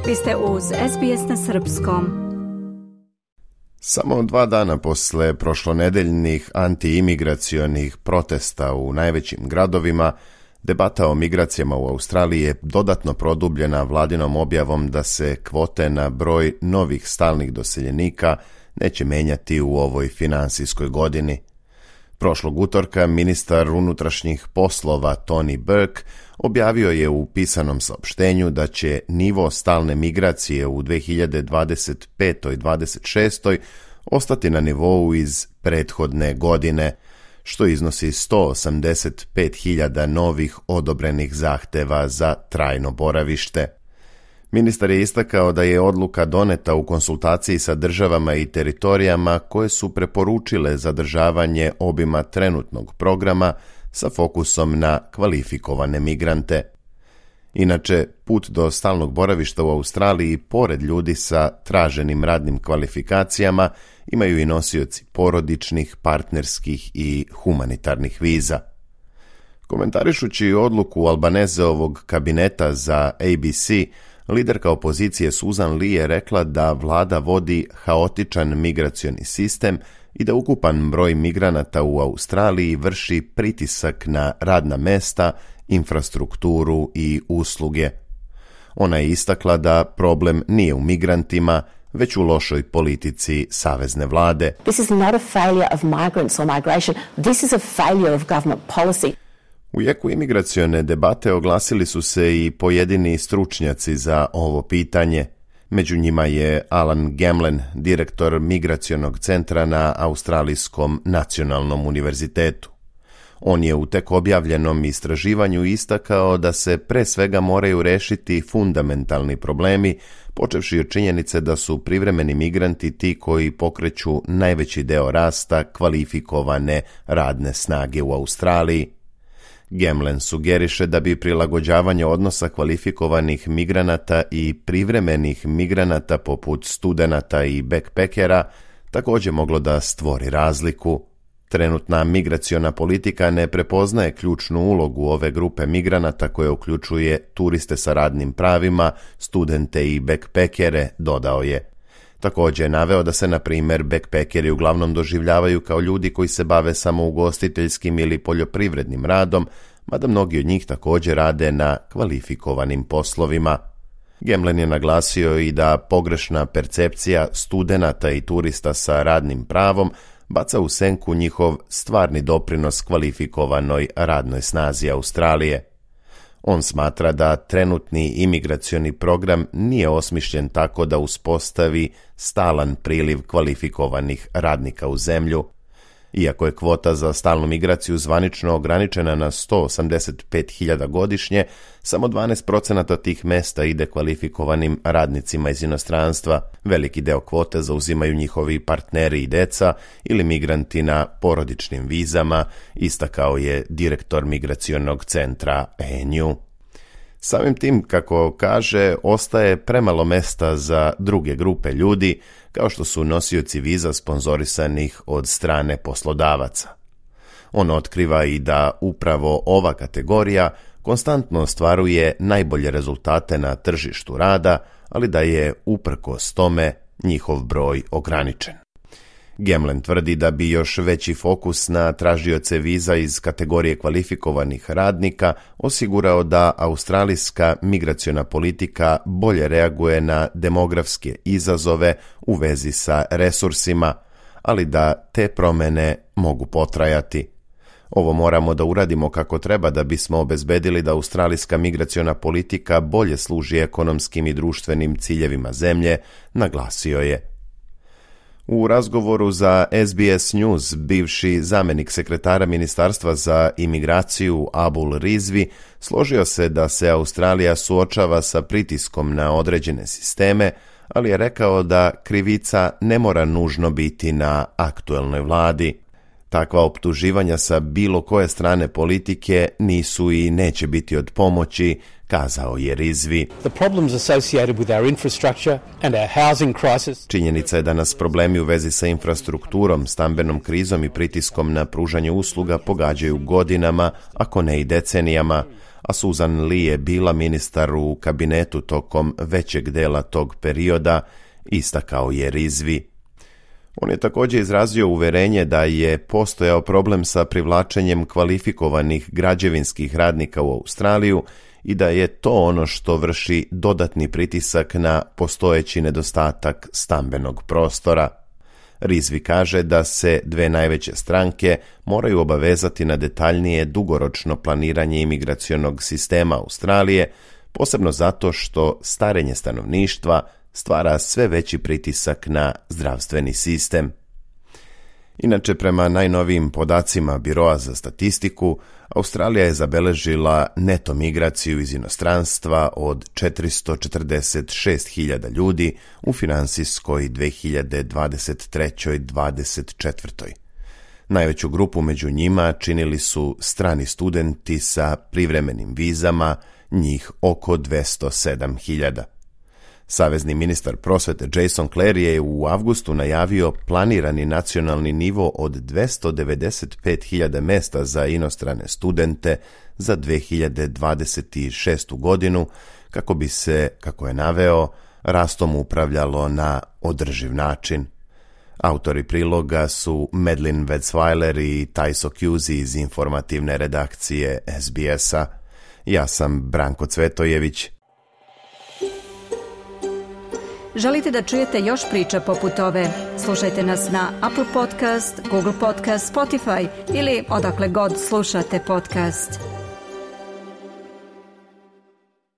Vi ste uz SBS na srpskom. Samo 2 dana posle prošlonedeljnih antiimigracionih protesta u najvećim gradovima, debata o migracijama u Australiji je dodatno produbljena vladinom objavom da se kvote na broj novih stalnih doseljenika neće menjati u ovoj finansijskoj godini. Prošlog utorka ministar unutrašnjih poslova Tony Burke objavio je u pisanom saopštenju da će nivo stalne migracije u 2025. i 2026. ostati na nivou iz prethodne godine, što iznosi 185.000 novih odobrenih zahteva za trajno boravište. Ministar je istakao da je odluka doneta u konsultaciji sa državama i teritorijama koje su preporučile zadržavanje obima trenutnog programa sa fokusom na kvalifikovane migrante. Inače, put do stalnog boravišta u Australiji, pored ljudi sa traženim radnim kvalifikacijama, imaju i nosioci porodičnih, partnerskih i humanitarnih viza. Komentarišući odluku Albanezeovog kabineta za ABC, liderka opozicije Susan Lee je rekla da vlada vodi haotičan migracioni sistem i da ukupan broj migranata u Australiji vrši pritisak na radna mesta, infrastrukturu i usluge. Ona je istakla da problem nije u migrantima, već u lošoj politici savezne vlade. This is not a failure of migrants or migration. This is a failure of government policy. U jeku imigracione debate oglasili su se i pojedini stručnjaci za ovo pitanje. Među njima je Alan Gemlen, direktor migracionog centra na Australijskom nacionalnom univerzitetu. On je u tek objavljenom istraživanju istakao da se pre svega moraju rešiti fundamentalni problemi, počevši od činjenice da su privremeni migranti ti koji pokreću najveći deo rasta kvalifikovane radne snage u Australiji. Gemlen sugeriše da bi prilagođavanje odnosa kvalifikovanih migranata i privremenih migranata poput studenata i backpackera također moglo da stvori razliku. Trenutna migraciona politika ne prepoznaje ključnu ulogu ove grupe migranata koje uključuje turiste sa radnim pravima, studente i backpackere, dodao je. Također je naveo da se, na primjer, backpackeri uglavnom doživljavaju kao ljudi koji se bave samo ugostiteljskim ili poljoprivrednim radom, mada mnogi od njih također rade na kvalifikovanim poslovima. Gemlen je naglasio i da pogrešna percepcija studenata i turista sa radnim pravom baca u senku njihov stvarni doprinos kvalifikovanoj radnoj snazi Australije. On smatra da trenutni imigracioni program nije osmišljen tako da uspostavi stalan priliv kvalifikovanih radnika u zemlju. Iako je kvota za stalnu migraciju zvanično ograničena na 185.000 godišnje, samo 12% tih mesta ide kvalifikovanim radnicima iz inostranstva. Veliki deo kvote zauzimaju njihovi partneri i deca ili migranti na porodičnim vizama, istakao je direktor migracionog centra ANU. Samim tim, kako kaže, ostaje premalo mesta za druge grupe ljudi, kao što su nosioci viza sponzorisanih od strane poslodavaca. On otkriva i da upravo ova kategorija konstantno ostvaruje najbolje rezultate na tržištu rada, ali da je uprkos tome njihov broj ograničen. Gemlen tvrdi da bi još veći fokus na tražioce viza iz kategorije kvalifikovanih radnika osigurao da australijska migraciona politika bolje reaguje na demografske izazove u vezi sa resursima, ali da te promjene mogu potrajati. Ovo moramo da uradimo kako treba da bismo obezbedili da australijska migraciona politika bolje služi ekonomskim i društvenim ciljevima zemlje, naglasio je. U razgovoru za SBS News, bivši zamjenik sekretara Ministarstva za imigraciju Abul Rizvi složio se da se Australija suočava sa pritiskom na određene sisteme, ali je rekao da krivica ne mora nužno biti na aktuelnoj vladi. Takva optuživanja sa bilo koje strane politike nisu i neće biti od pomoći, kazao je Rizvi. Činjenica je da nas problemi u vezi sa infrastrukturom, stambenom krizom i pritiskom na pružanje usluga pogađaju godinama, ako ne i decenijama, a Susan Lee je bila ministar u kabinetu tokom većeg dela tog perioda, istakao je Rizvi. On je također izrazio uverenje da je postojao problem sa privlačenjem kvalifikovanih građevinskih radnika u Australiju i da je to ono što vrši dodatni pritisak na postojeći nedostatak stambenog prostora. Rizvi kaže da se dve najveće stranke moraju obavezati na detaljnije dugoročno planiranje imigracionog sistema Australije, posebno zato što starenje stanovništva stvara sve veći pritisak na zdravstveni sistem. Inače, prema najnovijim podacima Biroa za statistiku, Australija je zabeležila neto migraciju iz inostranstva od 446.000 ljudi u finansijskoj 2023-2024. Najveću grupu među njima činili su strani studenti sa privremenim vizama, njih oko 207.000. Savezni ministar prosvete Jason Clare je u avgustu najavio planirani nacionalni nivo od 295.000 mesta za inostrane studente za 2026. godinu, kako bi se, kako je naveo, rastom upravljalo na održiv način. Autori priloga su Madeline Wetzweiler i Tajso Kuzi iz informativne redakcije SBS-a. Ja sam Branko Cvetojević. Želite da čujete još priča poput ove? Slušajte nas na Apple Podcast, Google Podcast, Spotify ili odakle god slušate podcast.